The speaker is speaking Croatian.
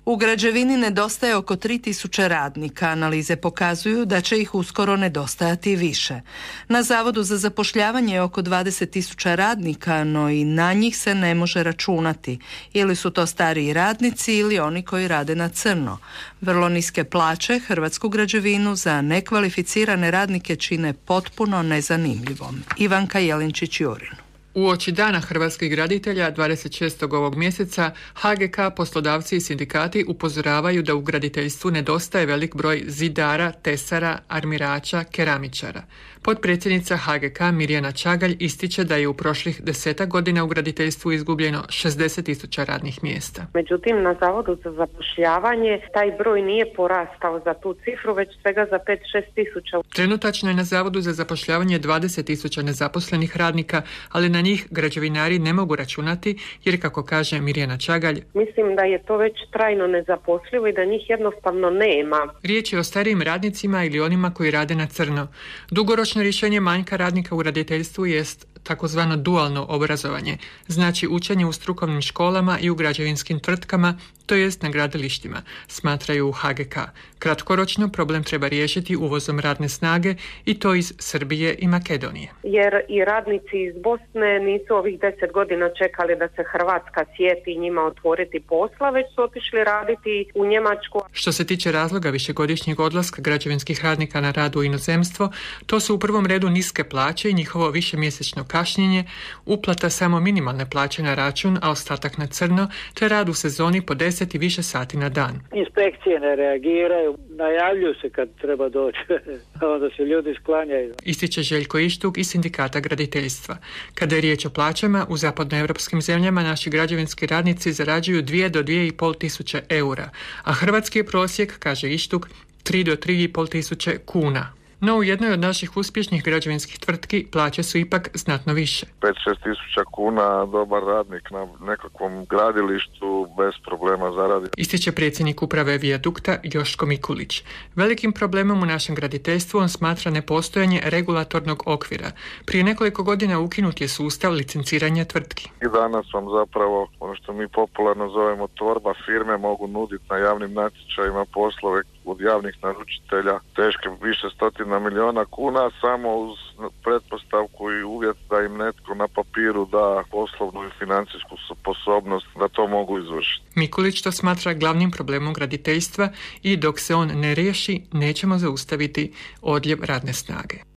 U građevini nedostaje oko 3000 radnika. Analize pokazuju da će ih uskoro nedostajati više. Na Zavodu za zapošljavanje je oko 20.000 radnika, no i na njih se ne može računati. Ili su to stariji radnici ili oni koji rade na crno. Vrlo niske plaće hrvatsku građevinu za nekvalificirane radnike čine potpuno nezanimljivom. Ivanka Jelinčić-Jurin. Uoči Dana hrvatskih graditelja 26. ovog mjeseca HGK, poslodavci i sindikati upozoravaju da u graditeljstvu nedostaje velik broj zidara, tesara, armirača, keramičara. Potpredsjednica HGK Mirjana Čagalj ističe da je u prošlih 10 godina u graditeljstvu izgubljeno 60.000 radnih mjesta. Međutim, na Zavodu za zapošljavanje taj broj nije porastao za tu cifru, već svega za 5-6 tisuća. Trenutačno je na Zavodu za zapošljavanje 20.000 nezaposlenih radnika, ali na njih građevinari ne mogu računati jer, kako kaže Mirjana Čagalj, mislim da je to već trajno nezaposlivo i da njih jednostavno nema. Riječ je o starijim radnicima ili onima koji rade na crno. Dugoročno rješenje manjka radnika u graditeljstvu jest takozvano dualno obrazovanje, znači učenje u strukovnim školama i u građevinskim tvrtkama, to jest na gradilištima, smatraju u HGK. Kratkoročno problem treba riješiti uvozom radne snage i to iz Srbije i Makedonije. Jer i radnici iz Bosne nisu ovih 10 godina čekali da se Hrvatska sjeti njima otvoriti posla, već su otišli raditi u Njemačku. Što se tiče razloga višegodišnjeg odlaska građevinskih radnika na rad u inozemstvo, to su u prvom redu niske plaće i njihovo višemjesečno kašnjenje, uplata samo minimalne plaće na račun, a ostatak na crno, te rad u sezoni po 10 i više sati na dan. Inspekcije ne reagiraju, najavljuju se kad treba doći, onda se ljudi sklanjaju. Ističe Željko Ištuk iz Sindikata graditeljstva. Kada je riječ o plaćama, u zapadnoevropskim zemljama naši građevinski radnici zarađuju 2 do 2,5 tisuće eura, a hrvatski je prosjek, kaže Ištuk, 3 do 3,5 tisuće kuna. No u jednoj od naših uspješnih građevinskih tvrtki plaće su ipak znatno više. 5-6 tisuća kuna dobar radnik na nekakvom gradilištu bez problema zaradi. Ističe predsjednik uprave Vijadukta Joško Mikulić. Velikim problemom u našem graditeljstvu on smatra nepostojanje regulatornog okvira. Prije nekoliko godina ukinut je sustav licenciranja tvrtki. I danas vam zapravo ono što mi popularno zovemo torba firme mogu nuditi na javnim natječajima poslove od javnih naručitelja teške više stotina milijuna kuna samo uz pretpostavku i uvjet da im netko na papiru da poslovnu i financijsku sposobnost da to mogu izvršiti. Mikulić to smatra glavnim problemom graditeljstva i dok se on ne riješi nećemo zaustaviti odljev radne snage.